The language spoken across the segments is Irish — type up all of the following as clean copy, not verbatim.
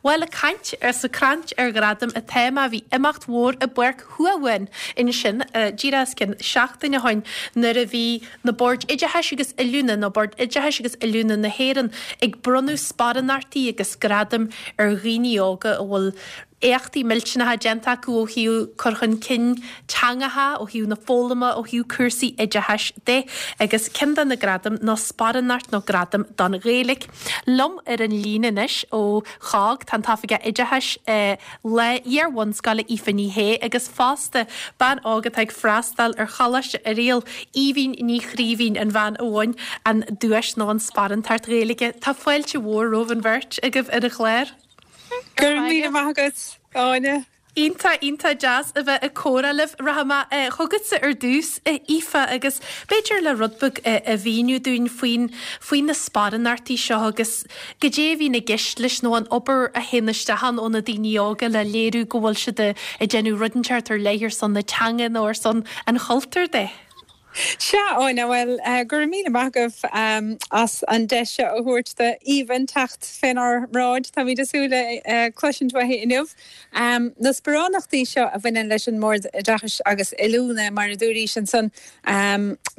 Bhuel, ag caint ar sa craic ar ghradaim atá mé, bhí imeacht mhór i bPáirc Thuamhumhan ansin díreach os cionn seachtain ó shoin nuair a bhí na Boird Oideachais agus Oiliúna, nó Bord Oideachais agus Oiliúna na hÉireann, ag bronnadh sparánachtaí agus gradaim ar dhaoine óga a bhfuil éachtaí millteanacha déanta acu ó thaobh cur chun cinn teangacha, ó thaobh na foghlama, ó thaobh cúrsaí oideachais de. Agus ceann de na gradaim ná sparánacht nó gradam don Ghaeilge. Liom ar an líne anois ó ChOGG tá an tOifigeach Oideachais le iar-bhunscoile Aoife Ní Shé agus fosta bean óg atá ag freastal ar Choláiste Oiriall, Aoibhinn Ní Chraoibhín, an bhean a bhain an duais nó an sparántacht Ghaeilge. Tá fáilte mhór romhaibh an bheirt agaibh ar an chlár. Go raibh míle maith agat, Áine. Iontach, iontach deas a bheith ag comhrá libh. Rachaidh mé chugatsa ar dtús, a Aoife, agus b'fhéidir le rud beag a mhíniú dúinn faoin, faoi na sparánachtaí seo agus goidé a bhíonn i gceist leis nó an obair a théann isteach ann ó na daoine óga le léiriú go bhfuil siad ag déanamh rud inteacht ar leith ar son na teanga nó ar son an chultúir de. Sea, Áine, bhuel, go raibh míle maith agaibh as an deis seo a thabhairt d'Aoibhinn teacht fénár mbráid. Táimid ag súil le cloisint uaithi inniu. Na sparánachtaí seo a bhaineann leis an mBord Oideachais agus Oiliúna, mar a dúraís ansan,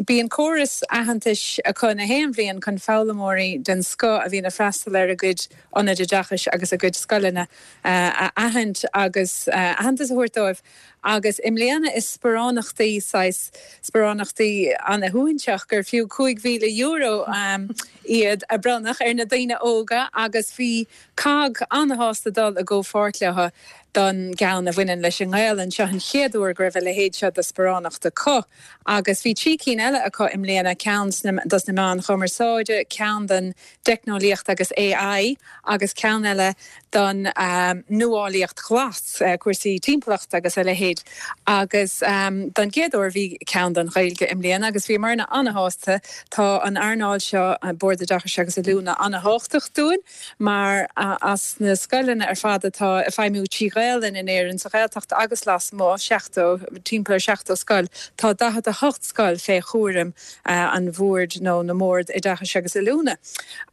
bíonn córas aitheantais acu na haon bhliain chun foghlaimeoirí den scoth a bhíonn ag freastal ar a gcuid ionaid oideachais agus a gcuid scoileanna a aithint agus aitheantas a thabhairt dóibh. Agus i mbliana is sparánachtaí, saghas sparánachtaí ana-shuaithinseach gur fiú €5,000 iad a bronnadh ar na daoine óga agus bhí COGG ana-shásta dul i gcomhpháirt leo don gceann a bhaineann leis an nGaelainn. Seo an chéad uair go raibh a leithéid seo de sparánacht acu agus bhí 3 cinn eile acu i mbliana, ceann dos na meáin chumarsáide, ceann don dteicneolaíocht agus AI agus ceann eile don nuálaíocht ghlas, cúrsaí timpeallachta agus a leithéid. Agus don gcéad uair bhí ceann don Ghaeilge i mbliana agus bhíomarna ana-shásta. Tá an earnáil seo, Bord Oideachais agus Oiliúna, ana-thábhachtach dúinn mar as na scoileanna ar fad atá ag feidhmiú trí Ghaelainn in Éirinn, sa Ghaeltacht agus lasmuigh, 70, timpeall ar 70 scoil, tá 48 scoil fé chúram an Bhoird nó na mBord Oideachais agus Oiliúna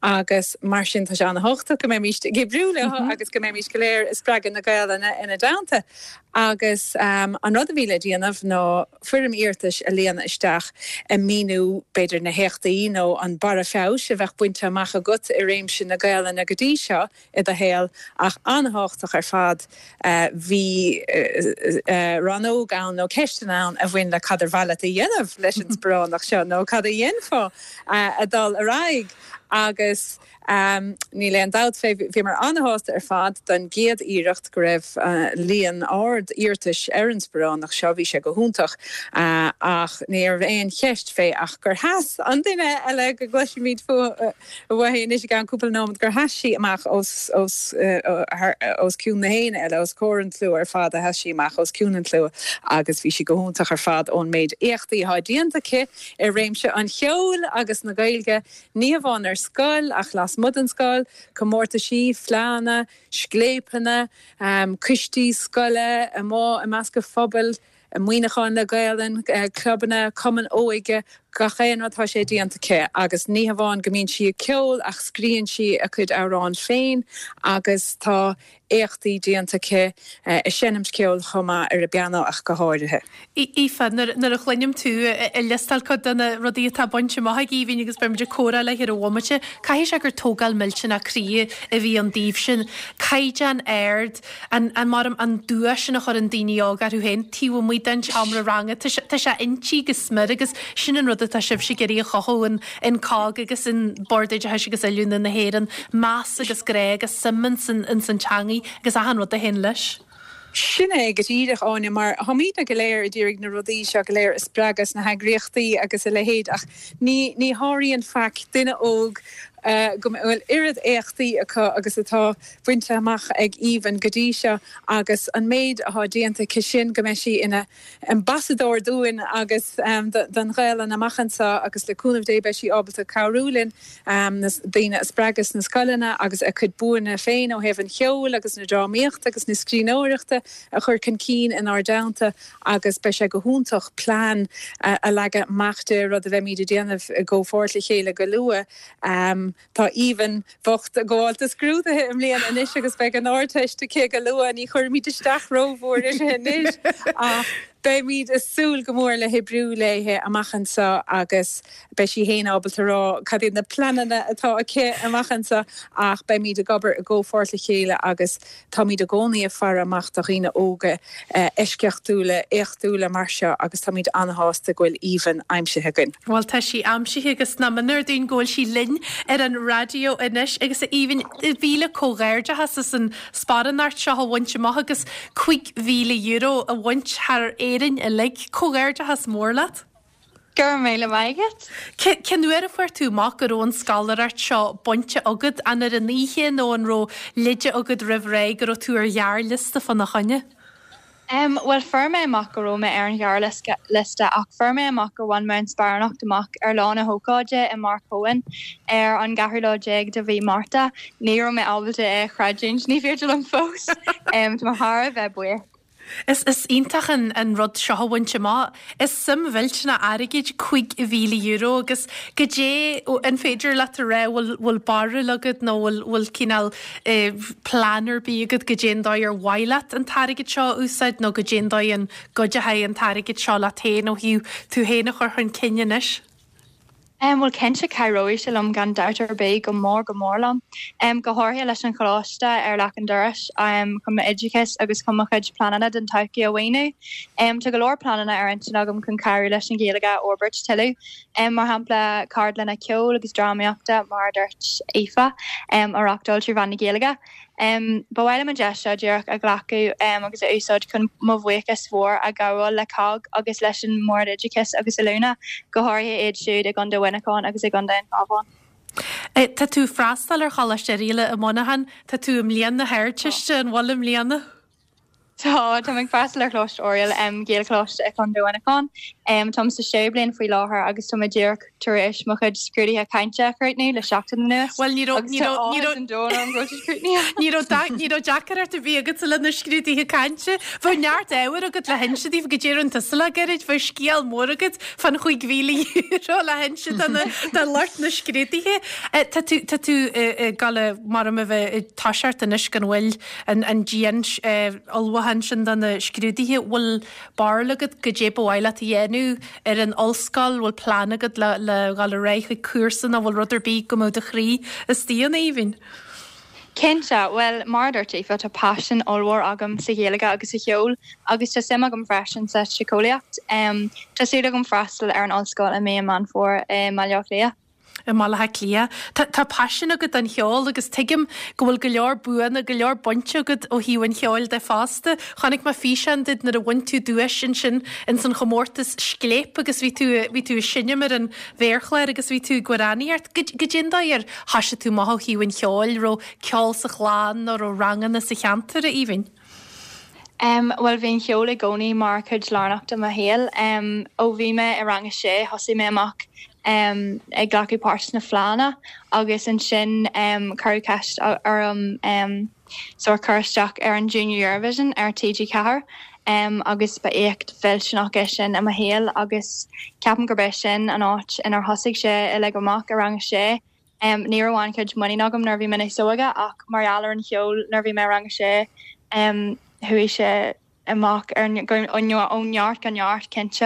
agus mar sin tá sé ana-thábhachtach go mbeimíst ag oibriú leo agus go mbeimíst go léir ag spreagadh na Gaelainne ina dteannta. Agus an rud a bhí le déanamh ná foirm iarratais a líonadh isteach ag míniú b'fhéidir na héachtaí nó an barra feabhais a bheadh bainte amach agat i réimse na Gaelainne go dtí seo i do shaol ach an-thábhachtach ar fad bhí rannóg ann nó ceisteanna ann a bhain le cad ar mhaith leat a dhéanamh leis an sparánacht seo nó cad a dhéanfá a dul ar aghaidh agus níl aon dabht fé bhíomar an-shásta ar fad don gcéad iarracht go raibh líon ard iarratais ar an sparánacht seo, bhí sé go hiontach ach ní raibh aon cheist fé ach gur sheas an duine eile go gcloisfimid fúithi uaithi anois i gceann cúpla nóiméad gur sheas sí amach os os os cionn na héinne eile, os comhair an tslua ar fad a sheas sí amach os cionn an tslua agus bhí sí go hiontach ar fad ón méid éachtaí atá déanta aici i réimse an cheoil agus na Gaeilge, ní hamháin ar scoil ach lasmuigh den scoil, comórtaisí, fleánna, scléipeanna, coistí scoile, amuigh i measc an phobail. Muineachán le Gaelainn, clubanna, cumainn óige, gach aon rud tá sé déanta aici agus ní hamháin go mbíonn sí ag ceol ach scríonn sí a cuid amhrán féin agus tá éachtaí déanta aici ag seinmt ceoil chomh maith ar an bpianó ach go háirithe. Aoife, nuair a chluinim tú ag liostáil cuid de na rudaí atá bainte amach ag Aoibhinn agus beidh muid ag comhrá léi ar an bhomaite, caithfidh sé gur tógáil millteanach croí a bhí ann daoibhse. Caighdeán ard An, an, mar an dua sin a chuireann daoine óga orthu féin taobh amuigh den tseomra ranga, tá sé, tá sé inti go smior agus sin an rud atá sibhse ag iarraidh a chothú in, in COGG agus in Bord Oideachais agus Oiliúna na hÉireann, meas agus grá agus suim ins an, ins an teangaidh agus achan rud a théann leis. Sin é go díreach, Áine, mar táimidne go léir ag iarraidh na rudaí seo go léir a spreagadh sna heagraíochtaí agus a leithéid ach ní, ní sháraíonn faic duine óg go bhfuil oiread éachtaí acu agus atá bainte amach ag Aoibhinn go dtí seo agus an méid atá déanta aici sin go mbeidh sí ina ambasadóir dúinn agus don Ghaelainn amach anseo agus le cúnamh Dé beidh sí ábalta cabhrú linn na daoine a spreagadh sna scoileanna agus a cuid buanna féin ó thaobh an cheoil agus na drámaíochta agus na scríbhneoireachta a chur chun cinn inár dteannta agus beidh sé go hiontach plean a leagadh amach di, rud a bheimid ag déanamh i gcomhpháirt le chéile go luath. Tá Aoibhinn bhocht ag gabháil do scrúduithe i mbliana anois agus beidh an Ardteist aici go luath. Ní chuirfimid isteach rómhór uirthi anois ach beimid ag súil go mór le hoibriú léi amach anseo agus beidh sí féin ábalta rá cad iad na pleananna atá aici amach anseo ach beimid ag obair i gcomhpháirt le chéile agus Táimid i gcónaí ag faire amach do dhaoine óga eisceachtúla, éachtúla mar seo agus táimid an-shásta go bhfuil Aoibhinn aimsithe againn. Bhuel, tá sí aimsithe agus nach ionadh dúinn go bhfuil sí linn ar an raidió anois. Agus a Aoibhinn, mhíle comhghairdeachas as an sparánacht seo a bhaint amach agus €5,000 a bhaint thar Éirinn uilig. Comhghairdeachas mór leat. Go raibh míle maith agat. Cén uair a fuair tú amach go raibh an scoláireacht seo bainte agat? An ar an oíche nó an raibh leide agat roimh ré go raibh tú ar ghearrliosta fána choinne? Em, bhuel fuair mé amach go raibh mé ar an ghearrliosta ach fuair mé amach gur bhain mé an sparánacht amach ar lá na hócáide i bPáirc Eoin ar an gceathrú lá déag de mhí Márta. Ní raibh mé ábalta é a chreidiúint, ní féidir liom fós. Em, tá mé thar a bheith buíoch. Is iontach an rud seo a bhaint amach. Is suim mhillteanach airgid €5,000 agus goidé an féidir leat a rá bhfuil bhfuil barúil agat nó bhfuil bhfuil cineál plean ar bith agat goidé an dóigh ar mhaith leat an t-airgead seo a úsáid nó goidé an dóigh an gcuideochaidh an t-airgead seo leat féin ó thaobh tú féin a chur chun cinn anois? Bhuel, cinnte, cabhróidh sé liom gan dabht ar bith, go mór go mór liom. Go háirithe leis an choláiste ar leac an dorais, chun m'oideachas agus chun mo chuid pleananna don todhchaí a mhaoiniú. Tá go leor pleananna ar intinn agam chun cabhrú leis an Ghaeilge a fhorbairt tuilleadh. Mar shampla, ceardlanna ceoil agus drámaíochta, mar a dúirt Aoife, a reáchtáil trí mheán na Gaeilge. Ba mhaith liom an deis seo díreach a ghlacadh agus a úsáid chun mo bhuíochas mhór a ghabháil le cogg agus leis an mBord Oideachais agus Oiliúna, go háirithe iad siúd i gContae Mhuineacháin agus i gContae an Chabháin. Tá tú ag freastal ar Choláiste Oirialla i Muineachán. Tá tú i mbliain na hArdteiste, an bhfuil i mbliana? Tá, táim ag freastal ar Choláiste Oiriall, Gaelcholáiste i Contae Mhuineacháin. Táim sa séú bliain faoi láthair agus tá mé díreach tar éis mo chuid scrúduithe cainte a chríochnú le seachtain anuas. Bhuel, ní raibh, ní raibh, ní raibh, an domhan orm go bhfuil siad críochnaithe. Ní raibh, ní raibh deacracht ar bith agatsa le na scrúduithe cainte. Bheadh neart ábhair agat le hinse daofa goidé a rinne tusa le gairid, bheadh scéal mór agat fán €5,000 le hinse do na, do lucht na scrúduithe. Tá tú, tá tú ag dul mar a bheith ag toiseacht anois gan mhoill. an dian-ullmhúchán sin do na scrúduithe, bhfuil barúil agat goidé ba mhaith leat a dhéanamh ar an ollscoil, bhfuil plean agat le le dhul ar aghaidh chuig cúrsa nó bhfuil rud ar bith go mbeadh do chroí istigh ann, Aoibhinn? Cinnte, bhuel, mar a dúirt Aoife, tá paisean ollmhór agam sa Ghaeilge agus sa cheol agus tá suim agam freisin sa tsiceolaíocht. Tá súil agam freastal ar an ollscoil i mí an Meán Fómhair i mBaile Átha Cliath. i mBaile Átha Cliath. Tá paisean agat don cheol agus tuigim go bhfuil go leor buanna, go leor bainte agat ó thaobh an cheoil de fosta. Chonaic mé físeán duit nuair a bhain tú duais ansin ins an chomórtas Scléip agus bhí tú, bhí tú ag seinm ar an mhéarchlár agus bhí tú ag amhránaíocht. Goidé an dóigh ar thoisigh tú amach ó thaobh an cheoil? Raibh ceol sa chlann nó raibh ranganna sa cheantar, a Aoibhinn? Bhuel, bhí an cheol i gcónaí mar chuid lárnach de mo shaol. Ó bhí mé i rang a sé, thosaigh mé amach ag glacadh páirt sna fleánna agus ansin cuireadh ceist orm sórt cur isteach ar an Junior Eurovision ar TG4 agus ba éacht mhillteanach é sin i mo shaol agus ceapaim gurb é sin an áit inar thosaigh sé uilig amach i rang a sé. Ní raibh an-chuid muinín agam nuair a bhí mé níos óige ach mar gheall ar an cheol nuair a bhí mé i rang a sé chuaigh sé amach ar ó neart go neart cinnte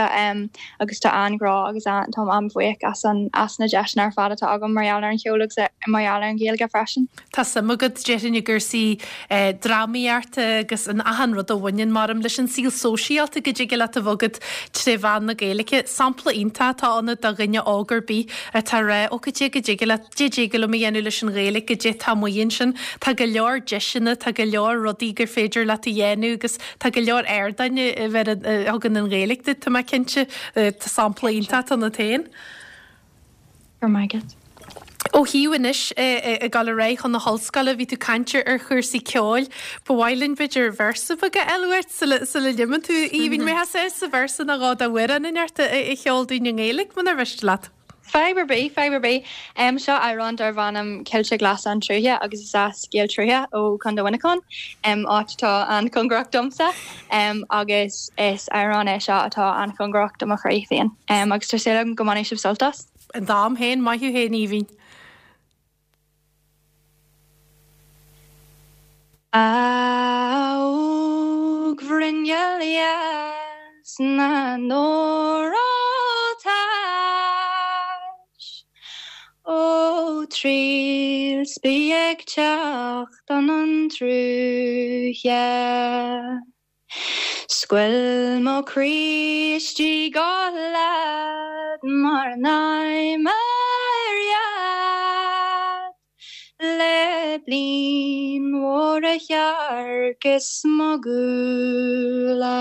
agus tá an-ghrá agus táim an-bhuíoch as an as na deiseanna ar fad atá agam mar gheall ar an cheol agus mar gheall ar an Ghaeilge freisin. Tá suim agat, déarfainn, i gcúrsaí drámaíochta agus in achan rud a bhaineann, maram, leis an saol sóisialta go dtig leat a bheith agat tré mheán na Gaeilge. Sampla iontach atá ionat do dhuine óg ar bith atá ag rá, ó goidé go dtig leat, goidé dtig liom a dhéanamh leis an Ghaeilge, goidé atá amuigh ansin. Tá go leor deiseanna, tá go leor rudaí gur féidir leat a dhéanamh agus tá go leor ardáin a thugann an Ghaeilge duit, tá mé cinnte. Tá sampla iontach ionat féin. Go raibh maith agat. Ó thaobh anois ag dul ar aghaidh chun na hollscoile, bhí tú ag caint ar chúrsaí ceoil. Ba mhaith linn b'fhéidir véarsa beag a fháil uait sula sula n-imíonn tú, Aoibhinn. Mbeifeá sásta véarsa nó dhó d'amhrán inteacht a cheol dúinn i nGaeilge, munar mhiste leat? Fadhb ar bith, fadhb ar bith. Seo amhrán darb ainm Coillte Glasa an tSrutha agus is as Béal Trutha ó Chontae Mhuineacháin, áit atá an-chóngarach domsa. Agus is amhrán é seo atá an-chóngarach do mo chroí féin. Agus tá súil agam go mbainfidh sibh sult as. Dom féin, maith thú féin, Aoibhinn. A óg-bhruinneall dheas na n-óraltais, Ó triall 's bí ag teacht 'un an tsrutha. 'S go bhfuil mo chroí istigh á leat mar an aimhir dheat le bliain mhór a shearc is mo ghuala.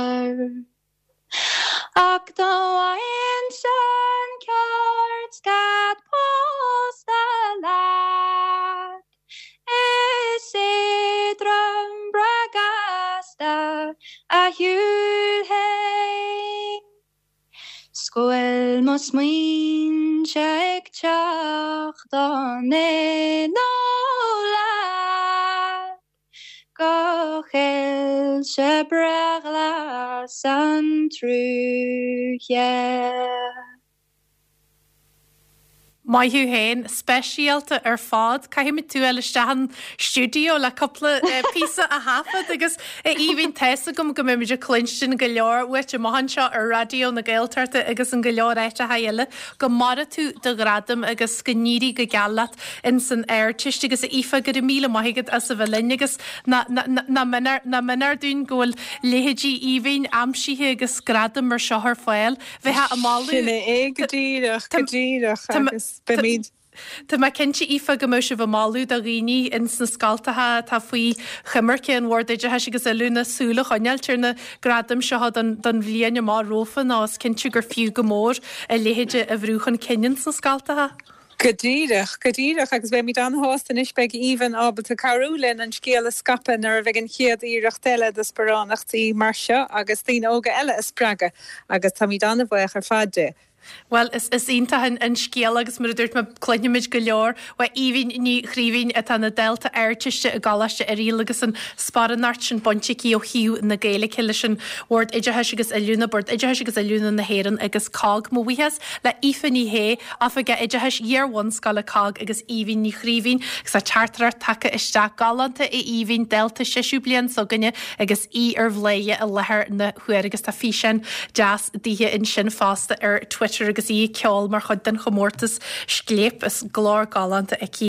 Ach dá bhfaighinnse an ceart 's cead pósta leat, is éadrom breá gasta a shiúlfainn. 'S go bhfuil mo smaointe ag teacht in éineacht leat. Go choillte breá ghlas an tsrutha. Maith thú féin, speisialta ar fad. Caithfimid tú a fháil isteach an stiúideo le cúpla píosa a thaifead agus a Aoibhinn tá fhios agam go mbeimid ag cluinstin go leor uait amach anseo ar Raidió na Gaeltachta agus in go leor áiteacha eile. Go maire tú do ghradam agus go n-éirí go geal leat ins an Ardteist agus a Aoife go raibh míle maith agat as a bheith linn agus nach méanar dúinn go bhfuil leithéidí Aoibhinn aimsithe agus gradaim mar seo ar fáil. Bheifeá ag moladh. Sin é go díreach, go díreach agus beimid. Tá mé cinnte Aoife go mbeadh sibh ag moladh do dhaoine ins na scoltacha atá faoi choimirce an Bhord Oideachais agus Oiliúna súil a choinneáilt ar na gradaim seo don bhliain amach romhainn nó is cinnte gur fiú go mór a leithéid a bhrú chun cinn ins na scoltacha. Go díreach, go díreach, agus beimid an-shásta anois, beidh Aoibhinn ábalta cabhrú linn an scéal a scaipeadh nuair a bheidh an chéad iarracht eile de sparánachtaí mar seo agus daoine óga eile a spreagadh agus táimid an-bhuíoch ar fad di. Bhuel, is is iontach an scéal agus mar a dúirt mé, cluinfimid go leor uaidh Aoibhinn Ní Chraoibhín atá ina dalta Ardteiste i gColáiste Oiriall agus an sparánacht sin bainte aici ó thaobh na Gaeilge leis an Bhord Oideachais agus Oiliúna, Bord Oideachais agus Oiliúna na hÉireann agus COGG. Mo bhuíochas le Aoife Ní Shé, Oifigeach Oideachais Iar-bhunscoile COGG agus Aoibhinn Ní Chraoibhín agus tá teachtaireacht tagtha isteach galánta a Aoibhinn, dalta séú bliain s'againne agus í ar bhláth i láthair na huaire agus tá físeán deas dithe ansin fosta ar Twitter agus í ag ceol mar chuid den chomórtas Scléip. Is glór galánta aici.